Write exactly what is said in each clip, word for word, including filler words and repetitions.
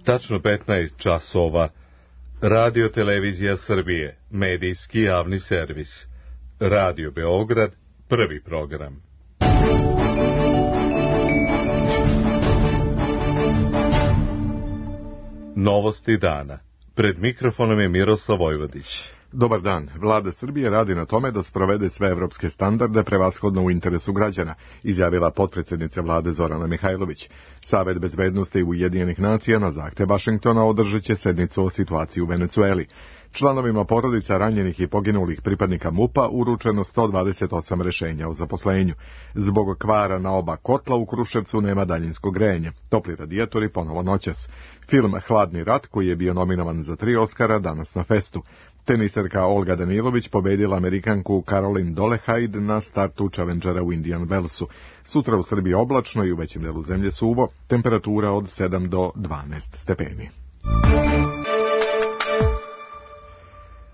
Tačno petnaest časova. Radio Televizija Srbije, medijski javni servis. Radio Beograd, prvi program. Novosti dana. Pred mikrofonom je Miroslav Vojvodić. Dobar dan. Vlada Srbije radi na tome da sprovede sve evropske standarde prevashodno u interesu građana, izjavila potpredsjednica vlade Zorana Mihajlović. Savet bezbednosti Ujedinjenih nacija na zahtev Vašingtona održat će sednicu o situaciji u Venecueli. Članovima porodica ranjenih i poginulih pripadnika MUP-a uručeno sto dvadeset osam rešenja o zaposlenju. Zbog kvara na oba kotla u Kruševcu nema daljinskog grejanja. Topli radijatori ponovo noćas. Film Hladni rat, koji je bio nominovan za tri Oskara, danas na festu. Teniserka Olga Danilović pobedila Amerikanku Caroline Dolehide na startu Challengera u Indian Wellsu. Sutra u Srbiji oblačno i u većem delu zemlje suvo, temperatura od sedam do dvanaest stepeni.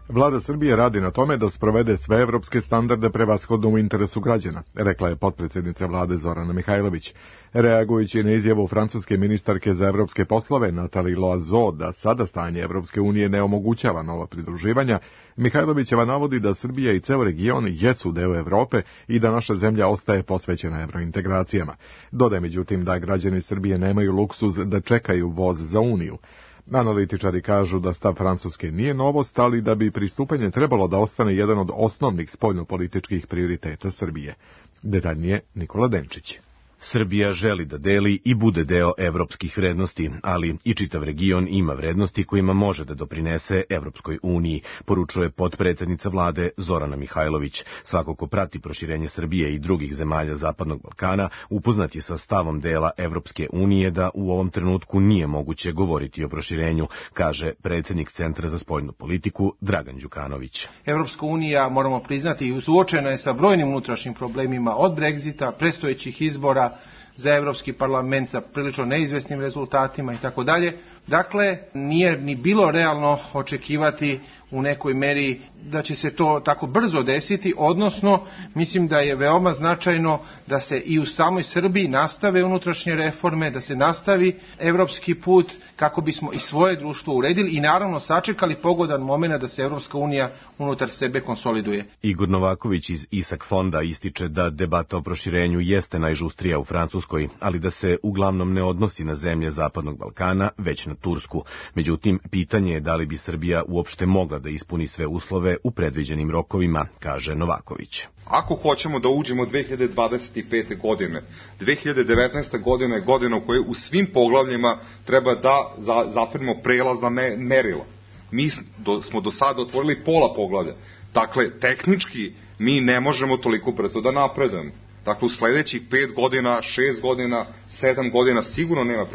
Vlada Srbije radi na tome da sprovede sve evropske standarde prevashodno u interesu građana, rekla je potpredsjednica vlade Zorana Mihajlović. Reagujući na izjavu francuske ministarke za evropske poslove Nathalie Loiseau da sada stanje Evropske unije ne omogućava nova pridruživanja, Mihajlovićeva navodi da Srbija i ceo region jesu deo Evrope i da naša zemlja ostaje posvećena evrointegracijama. Dodaje međutim da građani Srbije nemaju luksuz da čekaju voz za Uniju. Analitičari kažu da stav Francuske nije novost, ali da bi pristupanje trebalo da ostane jedan od osnovnih spoljnopolitičkih prioriteta Srbije. Detaljnije Nikola Denčić. Srbija želi da deli i bude deo evropskih vrednosti, ali i čitav region ima vrednosti kojima može da doprinese Evropskoj uniji, poručuje potpredsjednica vlade Zorana Mihajlović. Svako ko prati proširenje Srbije i drugih zemalja Zapadnog Balkana upoznat je sa stavom dela Evropske unije da u ovom trenutku nije moguće govoriti o proširenju, kaže predsjednik Centra za spoljnu politiku Dragan Đukanović. Evropska unija, moramo priznati, suočena je sa brojnim unutrašnjim problemima od Brexita, predstojećih izbora za Evropski parlament sa prilično neizvesnim rezultatima i tako dalje. Dakle, nije ni bilo realno očekivati u nekoj meri da će se to tako brzo desiti, odnosno mislim da je veoma značajno da se i u samoj Srbiji nastave unutrašnje reforme, da se nastavi evropski put kako bismo i svoje društvo uredili i naravno sačekali pogodan moment da se Evropska unija unutar sebe konsoliduje. Igor Novaković iz Isak fonda ističe da debata o proširenju jeste najžustrija u Francuskoj, ali da se uglavnom ne odnosi na zemlje Zapadnog Balkana, već na Tursku. Međutim, pitanje je da li bi Srbija uopšte mogla da ispuni sve uslove u predviđenim rokovima, kaže Novaković. Ako hoćemo da uđemo dve hiljade dvadeset pete. godine, dve hiljade devetnaesta. godina je godina u kojoj u svim poglavljima treba da za, zatvorimo prelazna me, merila. Mi do, smo do sada otvorili pola poglavlja. Dakle, tehnički mi ne možemo toliko brzo da napredujemo. Dakle, u sledećih pet godina, šest godina, sedam godina sigurno nema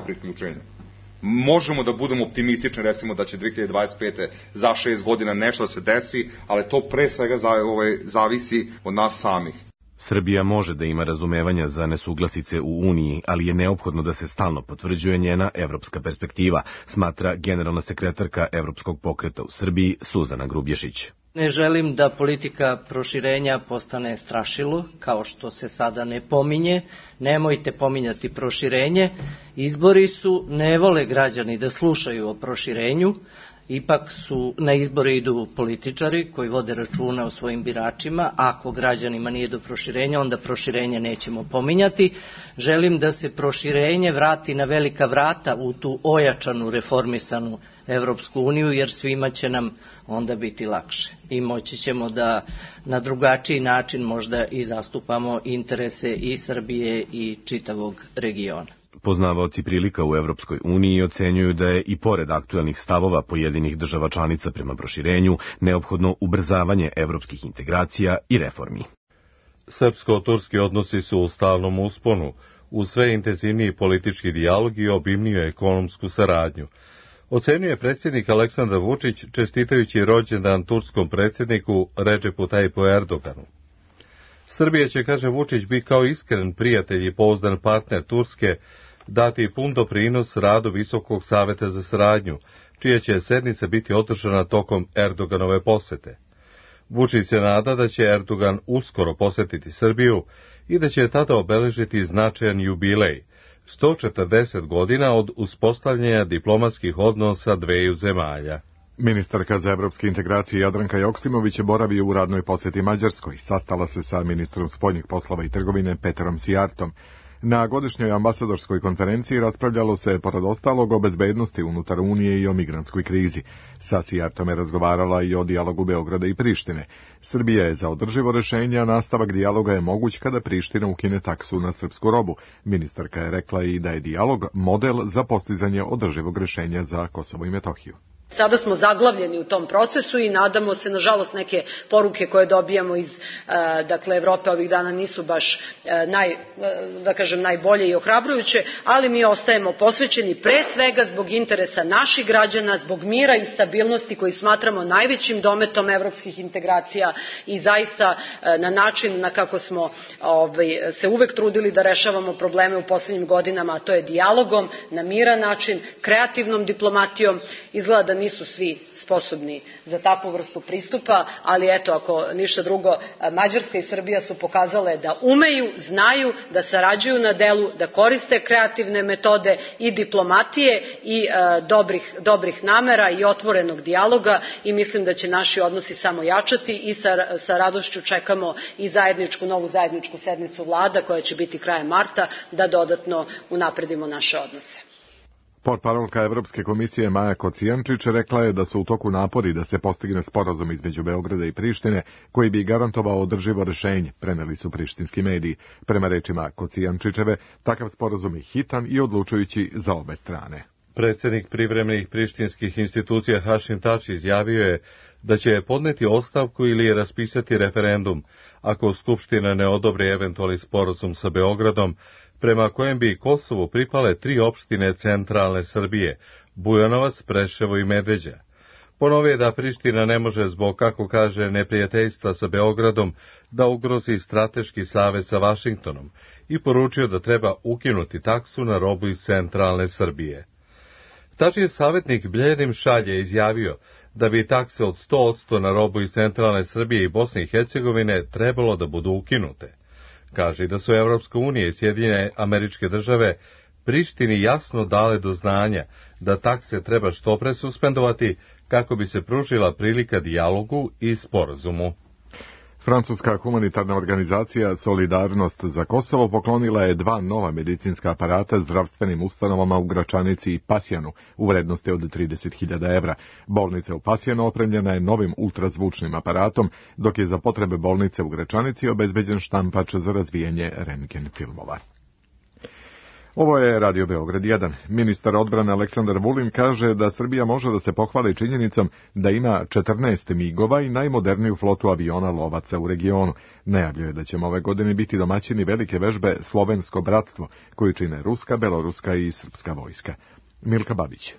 priključenja. Možemo da budemo optimistični, recimo da će dve hiljade dvadeset pete. za šest godina nešto da se desi, ali to pre svega za, ovaj, zavisi od nas samih. Srbija može da ima razumevanja za nesuglasice u Uniji, ali je neophodno da se stalno potvrđuje njena evropska perspektiva, smatra generalna sekretarka Evropskog pokreta u Srbiji Suzana Grubješić. Ne želim da politika proširenja postane strašilo, kao što se sada ne pominje. Nemojte pominjati proširenje. Izbori su, ne vole građani da slušaju o proširenju. Ipak su na izbore idu političari koji vode računa o svojim biračima. Ako građanima nije do proširenja, onda proširenje nećemo pominjati. Želim da se proširenje vrati na velika vrata u tu ojačanu, reformisanu Evropsku uniju, jer svima će nam onda biti lakše. I moći ćemo da na drugačiji način možda i zastupamo interese i Srbije i čitavog regiona. Poznavaoci prilika u Evropskoj uniji ocenjuju da je i pored aktuelnih stavova pojedinih država članica prema proširenju neophodno ubrzavanje evropskih integracija i reformi. Srpsko-turski odnosi su u stalnom usponu, uz sve intenzivniji politički dijalog i obimniju ekonomsku saradnju. Ocenjuje predsjednik Aleksandar Vučić čestitajući rođendan turskom predsjedniku Recepu Tayyipu Erdoganu. Srbija će, kaže Vučić, biti kao iskren prijatelj i pouzdan partner Turske dati pun doprinos radu Visokog saveta za saradnju, čija će sednica biti održana tokom Erdoganove posete. Vučić se nada da će Erdogan uskoro posetiti Srbiju i da će tada obeležiti značajan jubilej, sto četrdeset godina od uspostavljanja diplomatskih odnosa dveju zemalja. Ministarka za evropske integracije Jadranka Joksimović je boravio u radnoj posjeti Mađarskoj. Sastala se sa ministrom spoljnih poslova i trgovine Petrom Sijartom. Na godišnjoj ambasadorskoj konferenciji raspravljalo se, pored ostalog, o bezbednosti unutar Unije i o migrantskoj krizi. Sa Sijartom je razgovarala i o dijalogu Beograda i Prištine. Srbija je za održivo rešenje, a nastavak dijaloga je moguć kada Priština ukine taksu na srpsku robu. Ministarka je rekla i da je dijalog model za postizanje održivog rešenja za Kosovo i Metohiju. Sada smo zaglavljeni u tom procesu i nadamo se, nažalost, neke poruke koje dobijamo iz dakle Evrope ovih dana nisu baš naj, da kažem, najbolje i ohrabrujuće, ali mi ostajemo posvećeni pre svega zbog interesa naših građana, zbog mira i stabilnosti koji smatramo najvećim dometom evropskih integracija i zaista na način na kako smo ovaj, se uvek trudili da rešavamo probleme u poslednjim godinama, a to je dijalogom, na miran način, kreativnom diplomatijom. Izgleda da nisu svi sposobni za takvu vrstu pristupa, ali eto, ako ništa drugo, Mađarska i Srbija su pokazale da umeju, znaju, da sarađuju na delu, da koriste kreativne metode i diplomatije i e, dobrih, dobrih namera i otvorenog dijaloga i mislim da će naši odnosi samo jačati i sa, sa radošću čekamo i zajedničku, novu zajedničku sednicu vlada koja će biti krajem marta da dodatno unapredimo naše odnose. Portparolka Evropske komisije Maja Kocijančić rekla je da su u toku napori da se postigne sporazum između Beograda i Prištine koji bi garantovao održivo rešenje, preneli su prištinski mediji. Prema rečima Kocijančićeve, takav sporazum je hitan i odlučujući za obe strane. Predsjednik privremenih prištinskih institucija Hašim Tači izjavio je da će podneti ostavku ili raspisati referendum ako Skupština ne odobri eventualni sporazum sa Beogradom, prema kojem bi Kosovu pripale tri opštine centralne Srbije, Bujanovac, Preševo i Medveđa. Ponovio je da Priština ne može zbog, kako kaže, neprijateljstva sa Beogradom da ugrozi strateški savez sa Vašingtonom i poručio da treba ukinuti taksu na robu iz centralne Srbije. Tačijev savjetnik Bljedim Šalje izjavio da bi takse od sto posto na robu iz centralne Srbije i Bosne i Hercegovine trebalo da budu ukinute. Kaže da su Evropska unija i Sjedinjene Američke Države Prištini jasno dale do znanja da takse treba što pre suspendovati kako bi se pružila prilika dijalogu i sporazumu. Francuska humanitarna organizacija Solidarnost za Kosovo poklonila je dva nova medicinska aparata zdravstvenim ustanovama u Gračanici i Pasjanu u vrednosti od trideset hiljada evra. Bolnica u Pasjanu opremljena je novim ultrazvučnim aparatom, dok je za potrebe bolnice u Gračanici obezbeđen štampač za razvijanje rentgen filmova. Ovo je Radio Beograd jedan. Ministar odbrane Aleksandar Vulin kaže da Srbija može da se pohvali činjenicom da ima četrnaest migova i najmoderniju flotu aviona lovaca u regionu. Najavljuje da ćemo ove godine biti domaćini velike vežbe Slovensko bratstvo, koju čine ruska, beloruska i srpska vojska. Milka Babić.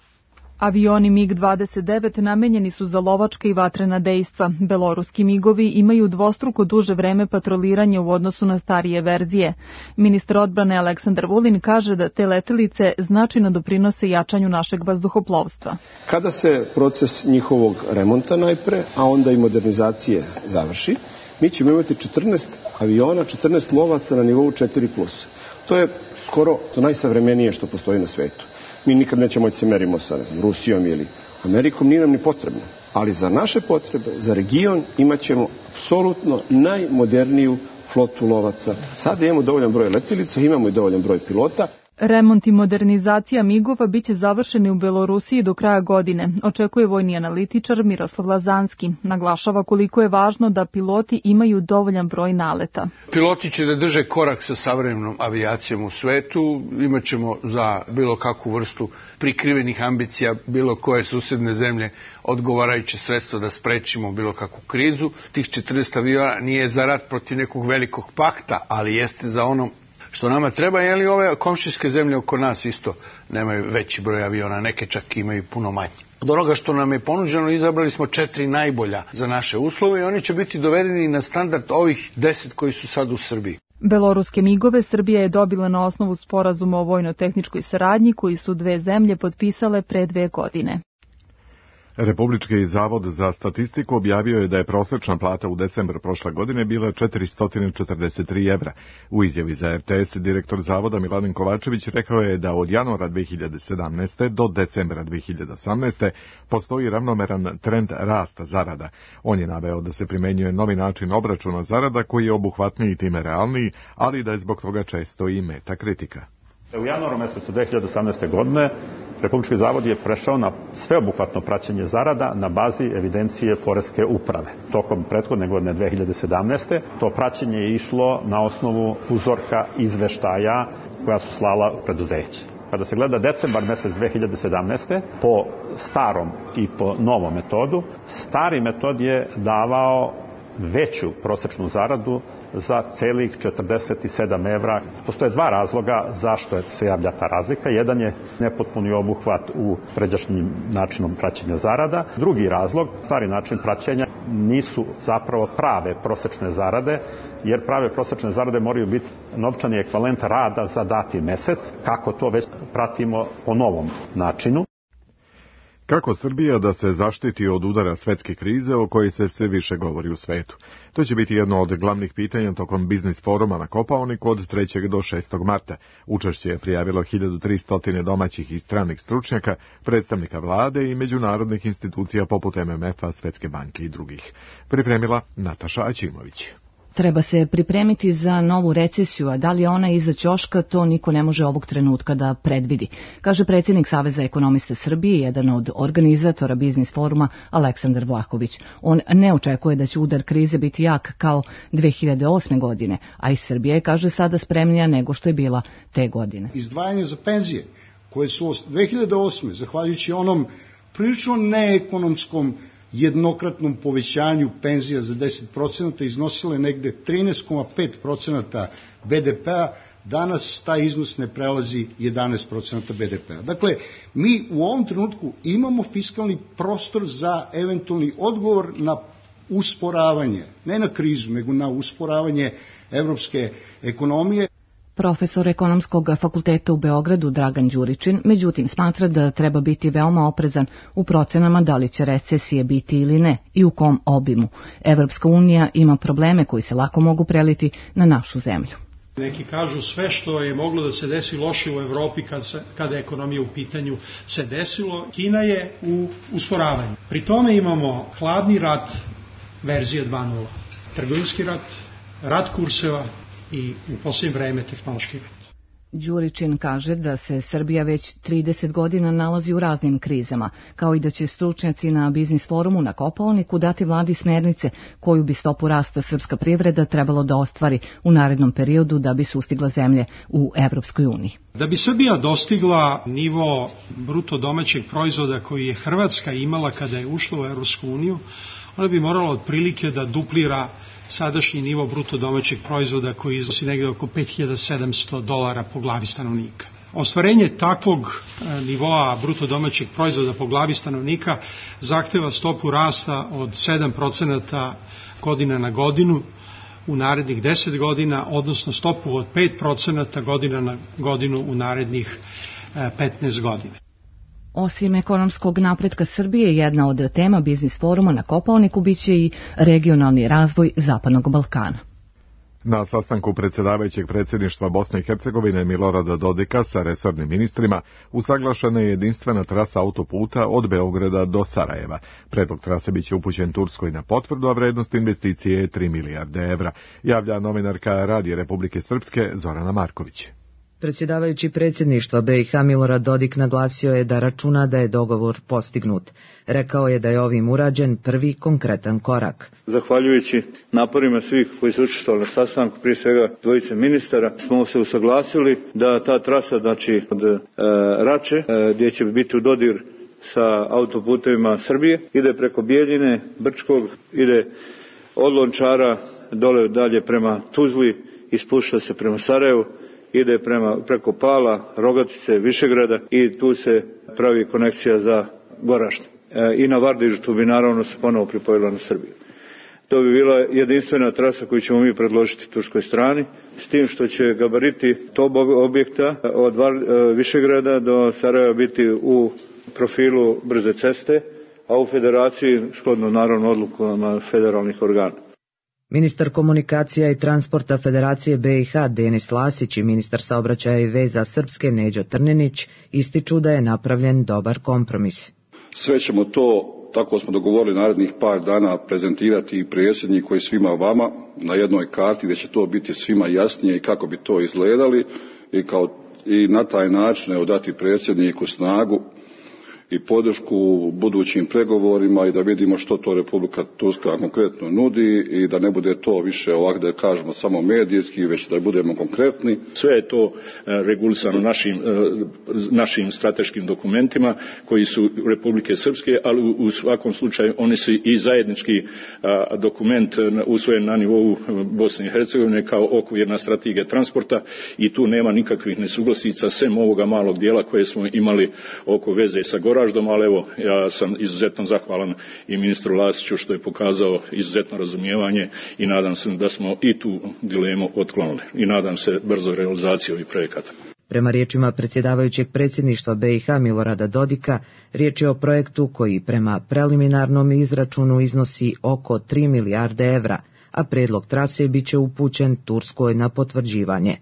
Avioni mig dvadeset devet namenjeni su za lovačka i vatrena dejstva. Beloruski migovi imaju dvostruko duže vreme patroliranja u odnosu na starije verzije. Ministar odbrane Aleksandar Vulin kaže da te letelice značajno doprinose jačanju našeg vazduhoplovstva. Kada se proces njihovog remonta najpre, a onda i modernizacije završi, mi ćemo imati četrnaest aviona, četrnaest lovaca na nivou četiri plus. To je skoro to najsavremenije što postoji na svetu. Mi nikad nećemo moći se merimo sa Rusijom ili Amerikom, nije nam ni potrebno. Ali za naše potrebe, za region, imat ćemo apsolutno najmoderniju flotu lovaca. Sada imamo dovoljan broj letilica, imamo i dovoljan broj pilota. Remont i modernizacija migova biće završeni u Belorusiji do kraja godine, očekuje vojni analitičar Miroslav Lazanski. Naglašava koliko je važno da piloti imaju dovoljan broj naleta. Piloti će da drže korak sa savremenom avijacijom u svetu, imat ćemo za bilo kakvu vrstu prikrivenih ambicija, bilo koje susedne zemlje odgovarajuće sredstvo da sprečimo bilo kakvu krizu. Tih četrnaest aviona nije za rat protiv nekog velikog pakta, ali jeste za ono što nama treba, je li ove komšijske zemlje oko nas isto nemaju veći broj aviona, neke čak imaju puno manje. Od onoga što nam je ponuđeno izabrali smo četiri najbolja za naše uslove i oni će biti dovedeni na standard ovih deset koji su sad u Srbiji. Beloruske migove Srbija je dobila na osnovu sporazuma o vojno-tehničkoj saradnji koji su dve zemlje potpisale pre dve godine. Republički zavod za statistiku objavio je da je prosječna plata u decembru prošle godine bila četiristo četrdeset tri evra. U izjavi za R T S direktor zavoda Miladin Kovačević rekao je da od januara dve hiljade sedamnaeste. do decembra dve hiljade osamnaeste. postoji ravnomeran trend rasta zarada. On je naveo da se primenjuje novi način obračuna zarada koji je obuhvatniji i time realniji, ali da je zbog toga često i meta kritika. U januaru mesecu dve hiljade osamnaeste. godine Republički zavod je prešao na sveobuhvatno praćenje zarada na bazi evidencije poreske uprave. Tokom prethodne godine dve hiljade sedamnaeste. to praćenje je išlo na osnovu uzorka izveštaja koja su slala preduzeća. Kada se gleda decembar mesec dve hiljade sedamnaeste. po starom i po novom metodu, stari metod je davao veću prosečnu zaradu za celih četrdeset sedam evra. Postoje dva razloga zašto se javlja ta razlika. Jedan je nepotpuni obuhvat u pređašnjim načinom praćenja zarada. Drugi razlog, stari način praćenja, nisu zapravo prave prosečne zarade, jer prave prosečne zarade moraju biti novčani ekvivalent rada za dati mesec, kako to već pratimo po novom načinu. Kako Srbija da se zaštiti od udara svetske krize o kojoj se sve više govori u svetu? To će biti jedno od glavnih pitanja tokom biznis foruma na Kopaoniku od trećeg do šestog marta. Učešće je prijavilo hiljadu tristo domaćih i stranih stručnjaka, predstavnika vlade i međunarodnih institucija poput M M F-a, Svetske banke i drugih. Pripremila Nataša Aćimović. Treba se pripremiti za novu recesiju, a da li je ona iza ćoška, to niko ne može ovog trenutka da predvidi, kaže predsjednik Saveza ekonomista Srbije, jedan od organizatora biznis foruma, Aleksandar Vlahović. On ne očekuje da će udar krize biti jak kao dve hiljade osme. godine, a i Srbija je, kaže, sada spremnija nego što je bila te godine. Izdvajanje za penzije, koje su dve hiljade osme. zahvaljujući onom prilično neekonomskom jednokratnom povećanju penzija za deset procenata iznosile negde trinaest zarez pet procenata B D P-a, danas taj iznos ne prelazi jedanaest procenata B D P-a. Dakle, mi u ovom trenutku imamo fiskalni prostor za eventualni odgovor na usporavanje, ne na krizu, nego na usporavanje evropske ekonomije. Profesor ekonomskog fakulteta u Beogradu Dragan Đuričin, međutim, smatra da treba biti veoma oprezan u procenama da li će recesije biti ili ne i u kom obimu. Evropska unija ima probleme koji se lako mogu preliti na našu zemlju. Neki kažu sve što je moglo da se desi loše u Evropi kad se, kada je ekonomija u pitanju se desilo. Kina je u usporavanju. Pri tome imamo hladni rat verzije dva nula, trgovinski rat, rat kurseva i u posljednje vreme tehnološki rat. Đuričin kaže da se Srbija već trideset godina nalazi u raznim krizama, kao i da će stručnjaci na biznis forumu na Kopaoniku dati vladi smernice koju bi stopu rasta srpska privreda trebalo da ostvari u narednom periodu da bi sustigla zemlje u Evropskoj uniji. Da bi Srbija dostigla nivo bruto domaćeg proizvoda koji je Hrvatska imala kada je ušla u Evropsku uniju, ona bi morala otprilike da duplira sadašnji nivo bruto domaćeg proizvoda koji iznosi negdje oko pet hiljada sedamsto dolara po glavi stanovnika. Ostvarenje takvog nivoa bruto domaćeg proizvoda po glavi stanovnika zahteva stopu rasta od sedam procenata godina na godinu u narednih deset godina, odnosno stopu od pet procenata godina na godinu u narednih petnaest godina. Osim ekonomskog napretka Srbije, jedna od tema biznis foruma na Kopaoniku biće i regionalni razvoj Zapadnog Balkana. Na sastanku predsjedavajućeg predsjedništva Bosne i Hercegovine Milorada Dodika sa resornim ministrima usaglašena je jedinstvena trasa autoputa od Beograda do Sarajeva. Predlog trase biće upućen Turskoj na potvrdu, a vrednost investicije je tri milijarde evra, javlja novinarka Radija Republike Srpske Zorana Marković. Predsjedavajući predsjedništva B i H Milorad Dodik naglasio je da računa da je dogovor postignut. Rekao je da je ovim urađen prvi konkretan korak. Zahvaljujući naporima svih koji su učestvovali na sastanku, prije svega dvojice ministara, smo se usaglasili da ta trasa, znači od e, Rače, e, gdje će biti u dodir sa autoputevima Srbije, ide preko Bijeljine, Brčkog, ide od Lončara dole dalje prema Tuzli i spušta se prema Sarajevu, ide prema, preko Pala, Rogatice, Višegrada i tu se pravi konekcija za Goražde. E, I na Vardižu tu bi naravno se ponovo pripojila na Srbiju. To bi bila jedinstvena trasa koju ćemo mi predložiti turskoj strani, s tim što će gabariti tog objekta od Var, e, Višegrada do Sarajeva biti u profilu brze ceste, a u federaciji shodno naravno odlukama federalnih organa. Ministar komunikacija i transporta Federacije B i H Denis Lasić i ministar saobraćaja i veza Srpske Neđo Trninić ističu da je napravljen dobar kompromis. Sve ćemo to, tako smo dogovorili, narednih par dana prezentirati i predsjedniku i svima vama na jednoj karti gdje će to biti svima jasnije i kako bi to izgledali i, kao, i na taj način evo, dati predsjedniku snagu i podršku budućim pregovorima i da vidimo što to Republika Turska konkretno nudi i da ne bude to više ovako da kažemo samo medijski, već da budemo konkretni. Sve je to regulisano našim, našim strateškim dokumentima koji su Republike Srpske, ali u svakom slučaju oni su i zajednički dokument usvojen na nivou Bosne i Hercegovine kao okvirna strategija transporta i tu nema nikakvih nesuglasica sem ovoga malog dijela koje smo imali oko veze sa Goraždom, ali evo, ja sam izuzetno zahvalan i ministru Lasiću što je pokazao izuzetno razumijevanje i nadam se da smo i tu dilemu otklonili i nadam se brzo realizaciji ovih projekata. Prema riječima predsjedavajućeg predsjedništva B i H Milorada Dodika, riječ je o projektu koji prema preliminarnom izračunu iznosi oko tri milijarde evra, a predlog trase biće upućen Turskoj na potvrđivanje.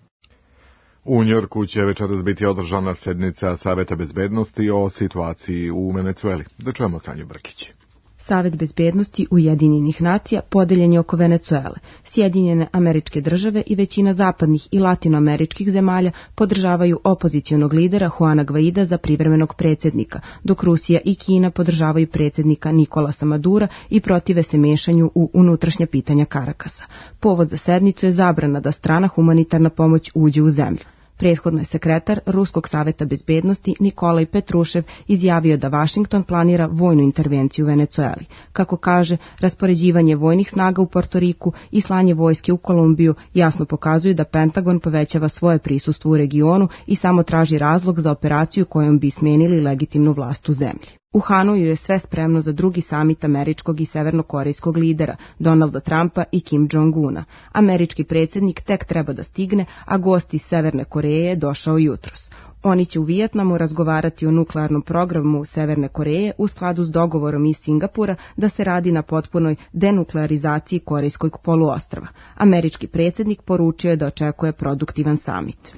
U Njorku će večeras biti održana sednica Saveta bezbednosti o situaciji u Venecueli. Da čujemo Sanju Brkić. Savet bezbednosti Ujedinjenih nacija podeljen je oko Venecuele. Sjedinjene Američke države i većina zapadnih i latinoameričkih zemalja podržavaju opozicionog lidera Juana Guaida za privremenog predsjednika, dok Rusija i Kina podržavaju predsjednika Nikolasa Madura i protive se mešanju u unutrašnja pitanja Karakasa. Povod za sednicu je zabrana da strana humanitarna pomoć uđe u zemlju. Prethodno je sekretar Ruskog saveta bezbednosti Nikolaj Petrušev izjavio da Vašington planira vojnu intervenciju u Venecueli. Kako kaže, raspoređivanje vojnih snaga u Portoriku i slanje vojske u Kolumbiju jasno pokazuju da Pentagon povećava svoje prisustvo u regionu i samo traži razlog za operaciju kojom bi smenili legitimnu vlast u zemlji. U Hanoju je sve spremno za drugi samit američkog i severnokorejskog lidera, Donalda Trumpa i Kim Jong-una. Američki predsjednik tek treba da stigne, a gost iz Severne Koreje je došao jutros. Oni će u Vijetnamu razgovarati o nuklearnom programu Severne Koreje u skladu s dogovorom iz Singapura da se radi na potpunoj denuklearizaciji Korejskog poluostrva. Američki predsjednik poručio je da očekuje produktivan samit.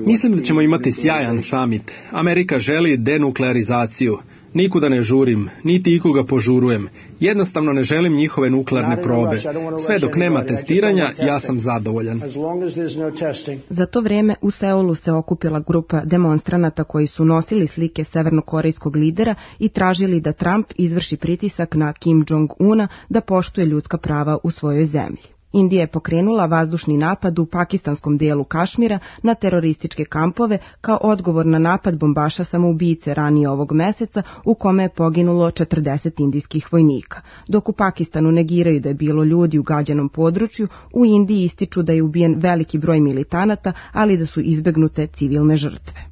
Mislim da ćemo imati sjajan samit. Amerika želi denuklearizaciju. Nikuda ne žurim, niti ikoga požurujem. Jednostavno ne želim njihove nuklearne probe. Sve dok nema testiranja, ja sam zadovoljan. Za to vrijeme u Seulu se okupila grupa demonstranata koji su nosili slike severnokorejskog lidera i tražili da Trump izvrši pritisak na Kim Jong-una da poštuje ljudska prava u svojoj zemlji. Indija je pokrenula vazdušni napad u pakistanskom dijelu Kašmira na terorističke kampove kao odgovor na napad bombaša samoubice ranije ovog meseca u kome je poginulo četrdeset indijskih vojnika. Dok u Pakistanu negiraju da je bilo ljudi u gađanom području, u Indiji ističu da je ubijen veliki broj militanata, ali da su izbegnute civilne žrtve.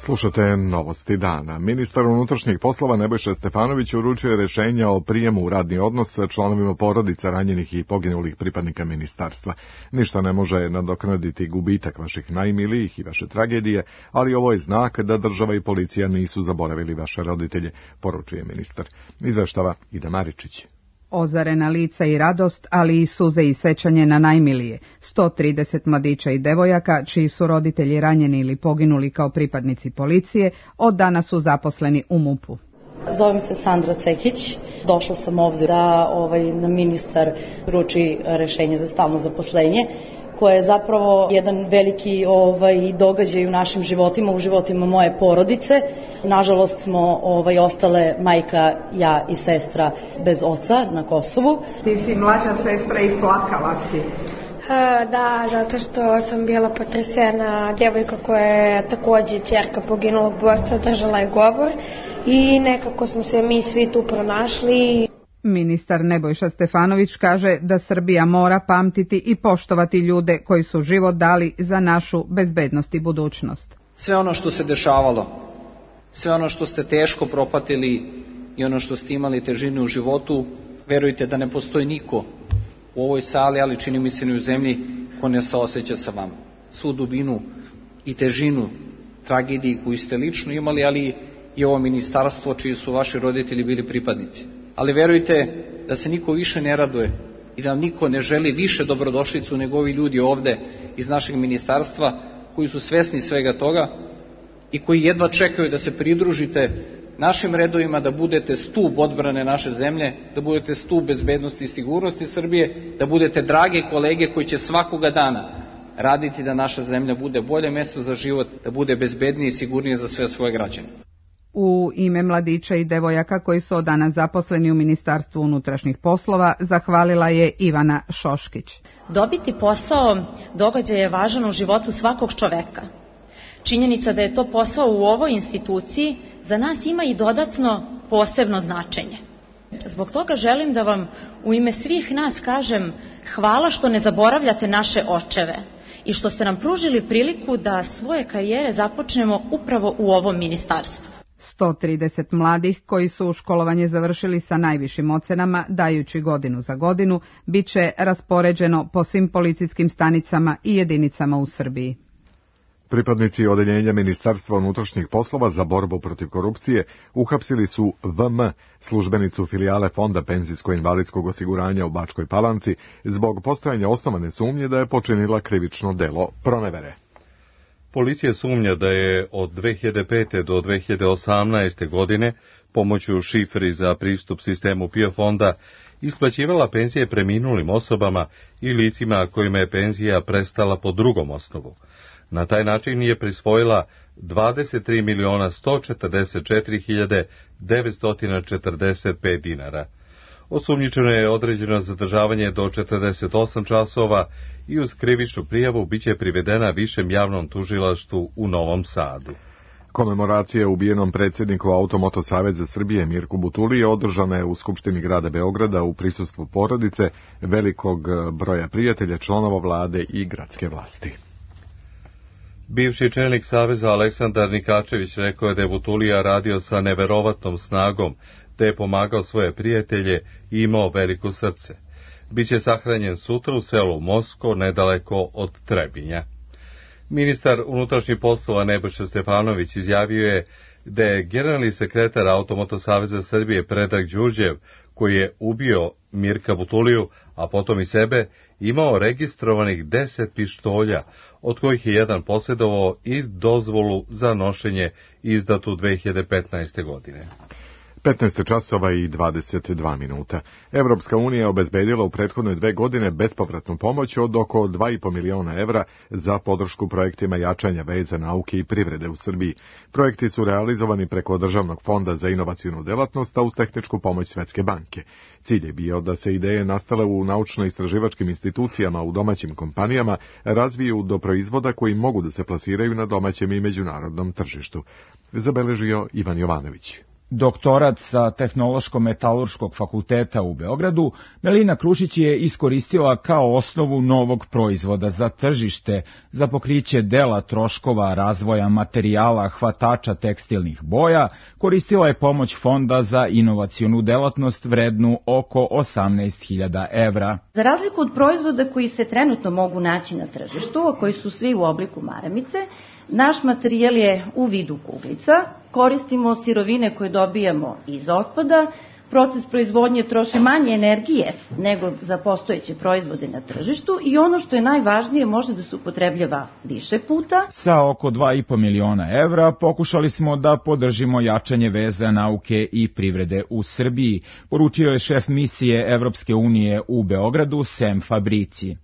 Slušate novosti dana. Ministar unutrašnjih poslova Nebojša Stefanović uručio rješenja o prijemu u radni odnos sa članovima porodica ranjenih i poginulih pripadnika ministarstva. Ništa ne može nadoknaditi gubitak vaših najmilijih i vaše tragedije, ali ovo je znak da država i policija nisu zaboravili vaše roditelje, poručuje ministar. Izveštava Ida Maričić. Ozarena lica i radost, ali i suze i sećanje na najmilije. sto trideset mladića i devojaka, čiji su roditelji ranjeni ili poginuli kao pripadnici policije, od danas su zaposleni u MUP-u. Zovem se Sandra Cekić. Došla sam ovdje da ovaj, na ministar uruči rešenje za stalno zaposlenje, koje je zapravo jedan veliki ovaj, događaj u našim životima, u životima moje porodice. Nažalost smo ovaj, ostale majka, ja i sestra bez oca na Kosovu. Ti si mlađa sestra i plakala si. Da, zato što sam bila potresena. Djevojka koja je također ćerka poginulog borca držala je govor i nekako smo se mi svi tu pronašli. Ministar Nebojša Stefanović kaže da Srbija mora pamtiti i poštovati ljude koji su život dali za našu bezbednost i budućnost. Sve ono što se dešavalo, sve ono što ste teško propatili i ono što ste imali težinu u životu, verujte da ne postoji niko u ovoj sali, ali čini mi se ni u zemlji, ko ne saoseća sa vama. Svu dubinu i težinu tragediji koju ste lično imali, ali i ovo ministarstvo čiji su vaši roditelji bili pripadnici. Ali verujte da se niko više ne raduje i da vam niko ne želi više dobrodošlicu nego ovi ljudi ovde iz našeg ministarstva koji su svesni svega toga i koji jedva čekaju da se pridružite našim redovima, da budete stub odbrane naše zemlje, da budete stub bezbednosti i sigurnosti Srbije, da budete drage kolege koji će svakoga dana raditi da naša zemlja bude bolje mesto za život, da bude bezbednije i sigurnije za sve svoje građane. U ime mladića i devojaka koji su od danas zaposleni u Ministarstvu unutrašnjih poslova zahvalila je Ivana Šoškić. Dobiti posao događaj je važan u životu svakog čoveka. Činjenica da je to posao u ovoj instituciji za nas ima i dodatno posebno značenje. Zbog toga želim da vam u ime svih nas kažem hvala što ne zaboravljate naše očeve i što ste nam pružili priliku da svoje karijere započnemo upravo u ovom ministarstvu. sto trideset mladih koji su školovanje završili sa najvišim ocenama, dajući godinu za godinu, bit će raspoređeno po svim policijskim stanicama i jedinicama u Srbiji. Pripadnici odeljenja Ministarstva unutrašnjih poslova za borbu protiv korupcije uhapsili su V M, službenicu filijale Fonda penzijsko-invalidskog osiguranja u Bačkoj Palanci, zbog postojanja osnovane sumnje da je počinila krivično delo pronevere. Policija sumnja da je od dve hiljade pete do dve hiljade osamnaeste. godine pomoću šifri za pristup sistemu P I O fonda isplaćivala penzije preminulim osobama i licima kojima je penzija prestala po drugom osnovu. Na taj način je prisvojila dvadeset tri miliona sto četrdeset četiri hiljade devetsto četrdeset pet dinara. Osumnjičeno je određeno zadržavanje do četrdeset osam časova i uz krivičnu prijavu biće privedena višem javnom tužilaštvu u Novom Sadu. Komemoracija ubijenom predsjedniku Automoto Saveza Srbije Mirku Butulije održana je u Skupštini grada Beograda u prisustvu porodice, velikog broja prijatelja, članova vlade i gradske vlasti. Bivši čelnik Saveza Aleksandar Nikačević rekao je da je Butulija radio sa neverovatnom snagom, te je pomagao svoje prijatelje i imao veliko srce. Biće sahranjen sutra u selu Mosko, nedaleko od Trebinja. Ministar unutrašnjih poslova Nebojša Stefanović izjavio je da je generalni sekretar Automoto Saveza Srbije Predrag Đurđev, koji je ubio Mirka Butuliju, a potom i sebe, imao registrovanih deset pištolja, od kojih je jedan posjedovao i dozvolu za nošenje izdatu dve hiljade petnaeste. godine. petnaest časova i dvadeset dva minuta. Evropska unija je obezbedila u prethodne dve godine bespovratnu pomoć od oko dva i po miliona evra za podršku projektima jačanja veza nauke i privrede u Srbiji. Projekti su realizovani preko Državnog fonda za inovacionu delatnost, a uz tehničku pomoć Svetske banke. Cilj je bio da se ideje nastale u naučno-istraživačkim institucijama u domaćim kompanijama razviju do proizvoda koji mogu da se plasiraju na domaćem i međunarodnom tržištu. Zabeležio Ivan Jovanović. Doktorat sa Tehnološko-metalurškog fakulteta u Beogradu, Melina Krušić je iskoristila kao osnovu novog proizvoda za tržište za pokriće dela troškova razvoja materijala hvatača tekstilnih boja, koristila je pomoć Fonda za inovacionu delatnost vrednu oko osamnaest hiljada evra. Za razliku od proizvoda koji se trenutno mogu naći na tržištu, a koji su svi u obliku maramice, naš materijal je u vidu kuglica, koristimo sirovine koje dobijamo iz otpada, proces proizvodnje troši manje energije nego za postojeće proizvode na tržištu i ono što je najvažnije može da se upotrebljava više puta. Sa oko dva i po miliona evra pokušali smo da podržimo jačanje veza nauke i privrede u Srbiji, poručio je šef misije Evropske unije u Beogradu Sem Fabrici.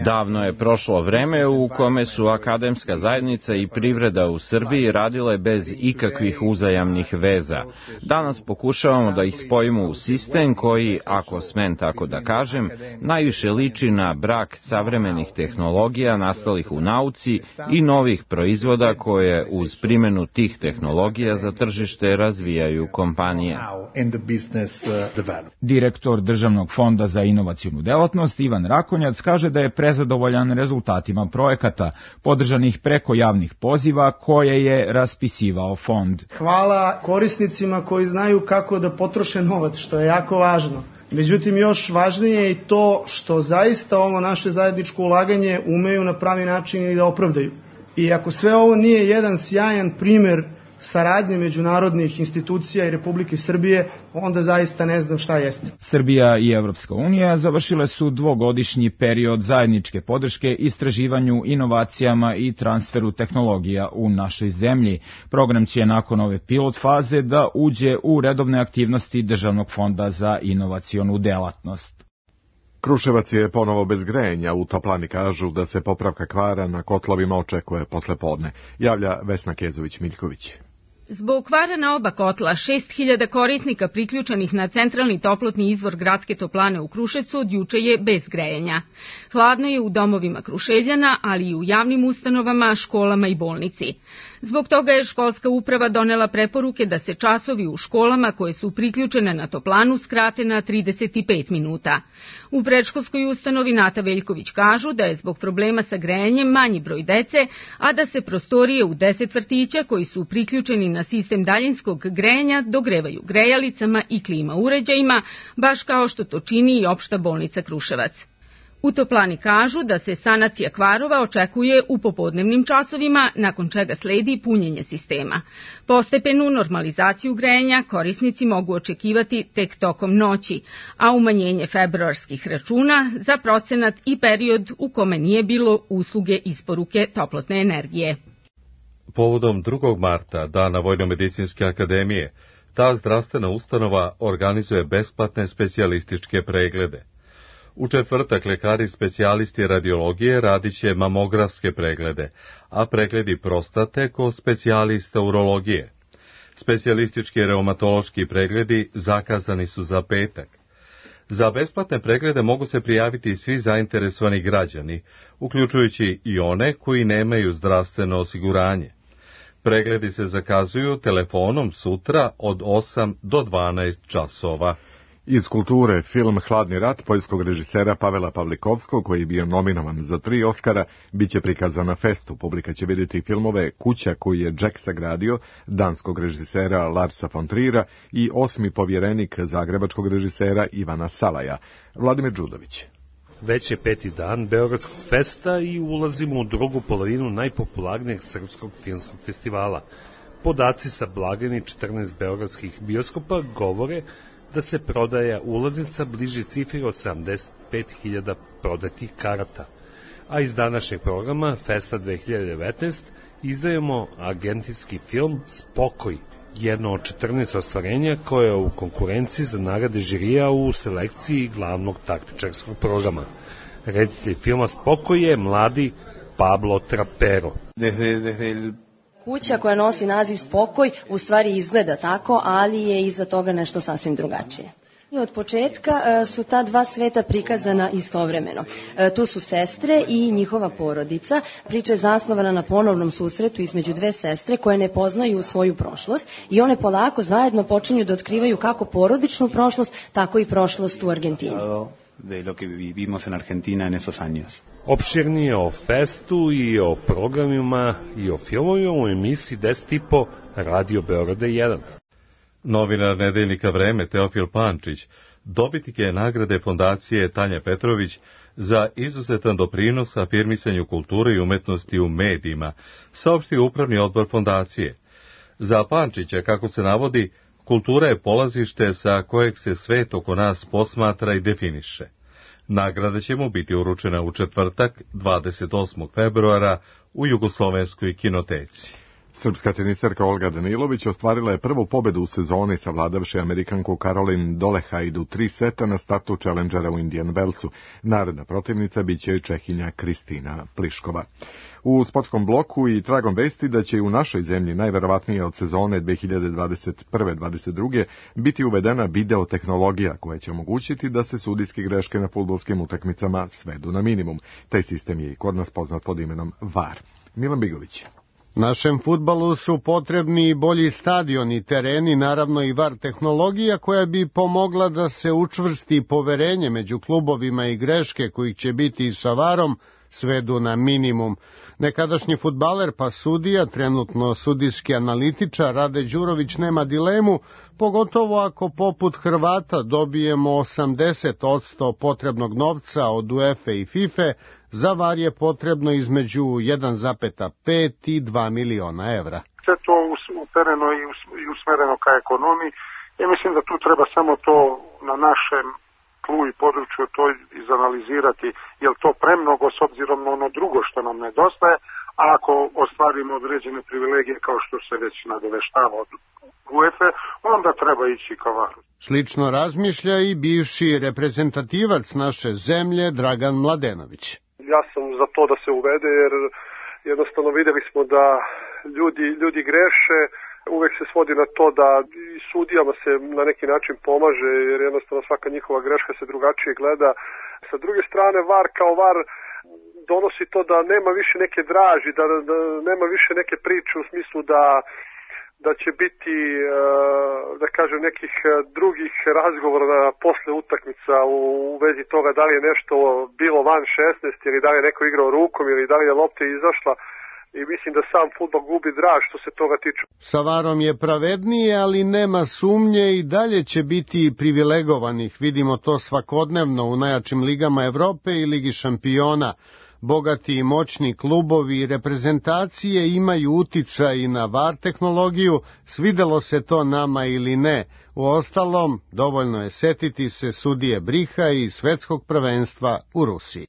Davno je prošlo vreme u kome su akademska zajednica i privreda u Srbiji radile bez ikakvih uzajamnih veza. Danas pokušavamo da ih spojimo u sistem koji, ako smem tako da kažem, najviše liči na brak savremenih tehnologija nastalih u nauci i novih proizvoda koje uz primjenu tih tehnologija za tržište razvijaju kompanije. Direktor Državnog fonda za inovacionu delatnost Ivan Rakonjac kaže da je prezadovoljan rezultatima projekata, podržanih preko javnih poziva koje je raspisivao fond. Hvala korisnicima koji znaju kako da potroše novac, što je jako važno. Međutim, još važnije je i to što zaista ovo naše zajedničko ulaganje umeju na pravi način i da opravdaju. I ako sve ovo nije jedan sjajan primer saradnje međunarodnih institucija i Republike Srbije, onda zaista ne znam šta jeste. Srbija i Evropska unija završile su dvogodišnji period zajedničke podrške istraživanju, inovacijama i transferu tehnologija u našoj zemlji. Program će nakon ove pilot faze da uđe u redovne aktivnosti Državnog fonda za inovacionu delatnost. Kruševac je ponovo bez grejanja, u toplani kažu da se popravka kvara na kotlovima očekuje posle podne, javlja Vesna Kezović-Miljković. Zbog kvara na oba kotla, šest hiljada korisnika priključenih na centralni toplotni izvor gradske toplane u Kruševcu od juče je bez grejanja. Hladno je u domovima Kruševljana, ali i u javnim ustanovama, školama i bolnici. Zbog toga je školska uprava donela preporuke da se časovi u školama koje su priključene na toplanu skrate na trideset pet minuta. U predškolskoj ustanovi Nata Veljković kažu da je zbog problema sa grejanjem manji broj dece, a da se prostorije u deset vrtića koji su priključeni na sistem daljinskog grejanja dogrevaju grejalicama i klima uređajima, baš kao što to čini i opšta bolnica Kruševac. U toplani kažu da se sanacija kvarova očekuje u popodnevnim časovima, nakon čega sledi punjenje sistema. Postepenu normalizaciju grejanja korisnici mogu očekivati tek tokom noći, a umanjenje februarskih računa za procenat i period u kome nije bilo usluge isporuke toplotne energije. Povodom drugog marta, dana Vojnomedicinske akademije, ta zdravstvena ustanova organizuje besplatne specijalističke preglede. U četvrtak lekari specijalisti radiologije radit će mamografske preglede, a pregledi prostate kod specijalista urologije. Specijalistički reumatološki pregledi zakazani su za petak. Za besplatne preglede mogu se prijaviti svi zainteresovani građani, uključujući i one koji nemaju zdravstveno osiguranje. Pregledi se zakazuju telefonom sutra od osam do dvanaest časova. Iz kulture, film Hladni rat poljskog režisera Pavela Pavlikovskog, koji je bio nominovan za tri Oskara, bit će prikazan na festu. Publika će vidjeti filmove Kuća koju je Jack sagradio, danskog režisera Larsa von Trira i Osmi povjerenik zagrebačkog režisera Ivana Salaja. Vladimir Đudović. Već je peti dan Beogradskog festa i ulazimo u drugu polovinu najpopularnijeg srpskog filmskog festivala. Podaci sa blagajni četrnaest beogradskih bioskopa govore da se prodaja ulaznica bliži cifri od sedamdeset pet hiljada prodatih karata. A iz današnjeg programa Festa dve hiljade devetnaest izdajemo argentinski film Spokoj, jedno od četrnaest ostvarenja koje je u konkurenciji za nagrade žirija u selekciji glavnog takmičarskog programa. Reditelj filma Spokoj je mladi Pablo Trapero. Desde, desde el... Kuća koja nosi naziv Spokoj u stvari izgleda tako, ali je iza toga nešto sasvim drugačije. I od početka su ta dva sveta prikazana istovremeno. Tu su sestre i njihova porodica. Priča je zasnovana na ponovnom susretu između dve sestre koje ne poznaju svoju prošlost i one polako zajedno počinju da otkrivaju kako porodičnu prošlost, tako i prošlost u Argentini. De lo que vivimos en Argentina en esos años. Opširnije o festu i o programima i o filmovima u emisiji deset i po Radio Beograda jedan. Novinar nedeljnika Vreme Teofil Pančić dobitnik je nagrade fondacije Tanja Petrović za izuzetan doprinos afirmisanju kulture i umetnosti u medijima, saopštio upravni odbor fondacije. Za Pančića, kako se navodi, kultura je polazište sa kojeg se svet oko nas posmatra i definiše. Nagrada će mu biti uručena u četvrtak, dvadeset osmog februara, u Jugoslovenskoj kinoteci. Srpska tenisarka Olga Danilović ostvarila je prvu pobedu u sezoni savladavši Amerikanku Caroline Dolehajdu u tri seta na startu Challengera u Indian Wellsu. Naredna protivnica biće Čehinja Kristina Pliškova. U sportskom bloku i tragom vesti da će u našoj zemlji najverovatnije od sezone dve hiljade dvadeset prve dvadeset druge biti uvedena videotehnologija koja će omogućiti da se sudijske greške na fudbalskim utakmicama svedu na minimum. Taj sistem je i kod nas poznat pod imenom V A R. Milan Bigović. Našem fudbalu su potrebni i bolji stadioni, tereni, naravno i V A R tehnologija koja bi pomogla da se učvrsti poverenje među klubovima i greške kojih će biti i sa V A R-om svedu na minimum. Nekadašnji fudbaler pa sudija, trenutno sudijski analitičar Rade Đurović nema dilemu, pogotovo ako poput Hrvata dobijemo osamdeset posto potrebnog novca od UEFA i FIFA Za VAR je potrebno između jedan zarez pet i dva miliona evra. Sve to upereno i usmereno ka ekonomiji. Ja mislim da tu treba samo to na našem tlu i području to izanalizirati, je li to premnogo s obzirom na ono drugo što nam nedostaje, a ako ostvarimo određene privilegije kao što se već nadoveštava od UEFA, onda treba ići ka varu. Slično razmišlja i bivši reprezentativac naše zemlje Dragan Mladenović. Ja sam za to da se uvede jer jednostavno videli smo da ljudi, ljudi greše, uvek se svodi na to da i sudijama se na neki način pomaže jer jednostavno svaka njihova greška se drugačije gleda. Sa druge strane VAR kao VAR donosi to da nema više neke draži, da, da nema više neke priče u smislu da da će biti, da kažem, nekih drugih razgovora posle utakmica u vezi toga da li je nešto bilo van šesnaest ili da li je neko igrao rukom ili da li je lopta izašla i mislim da sam fudbal gubi draž što se toga tiče. Sa varom je pravednije, ali nema sumnje i dalje će biti privilegovanih. Vidimo to svakodnevno u najjačim ligama Evrope i Ligi šampiona. Bogati i moćni klubovi i reprezentacije imaju uticaj na VAR tehnologiju, svidelo se to nama ili ne. Uostalom, dovoljno je setiti se sudije Briha i svetskog prvenstva u Rusiji.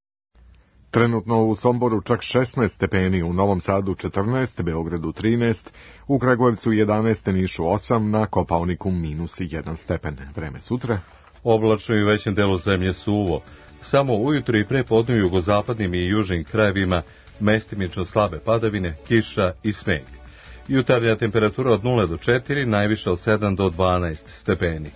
Trenutno u Somboru čak šesnaest stepeni, u Novom Sadu četrnaest, Beogradu trinaest, u Kragujevcu jedanaest, Nišu osam, na Kopaoniku minus jedan stepen. Vreme sutra. Oblačno i u većem delu zemlje suvo. Samo ujutro i pre podne u jugozapadnim i južnim krajevima mestimično slabe padavine, kiša i sneg. Jutarnja temperatura od nula do četiri, najviša od sedam do dvanaest stepeni.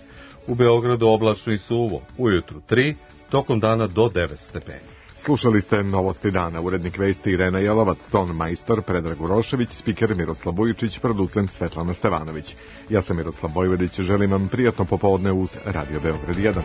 U Beogradu oblačno i suvo, ujutru tri, tokom dana do devet stepeni. Slušali ste Novosti dana, urednik vesti Irena Jelovac, ton majstor Predrag Urošević, spiker Miroslav Vujičić, producent Svetlana Stevanović. Ja sam Miroslav Bojvedić, želim vam prijatno popodne uz Radio Beograd jedan.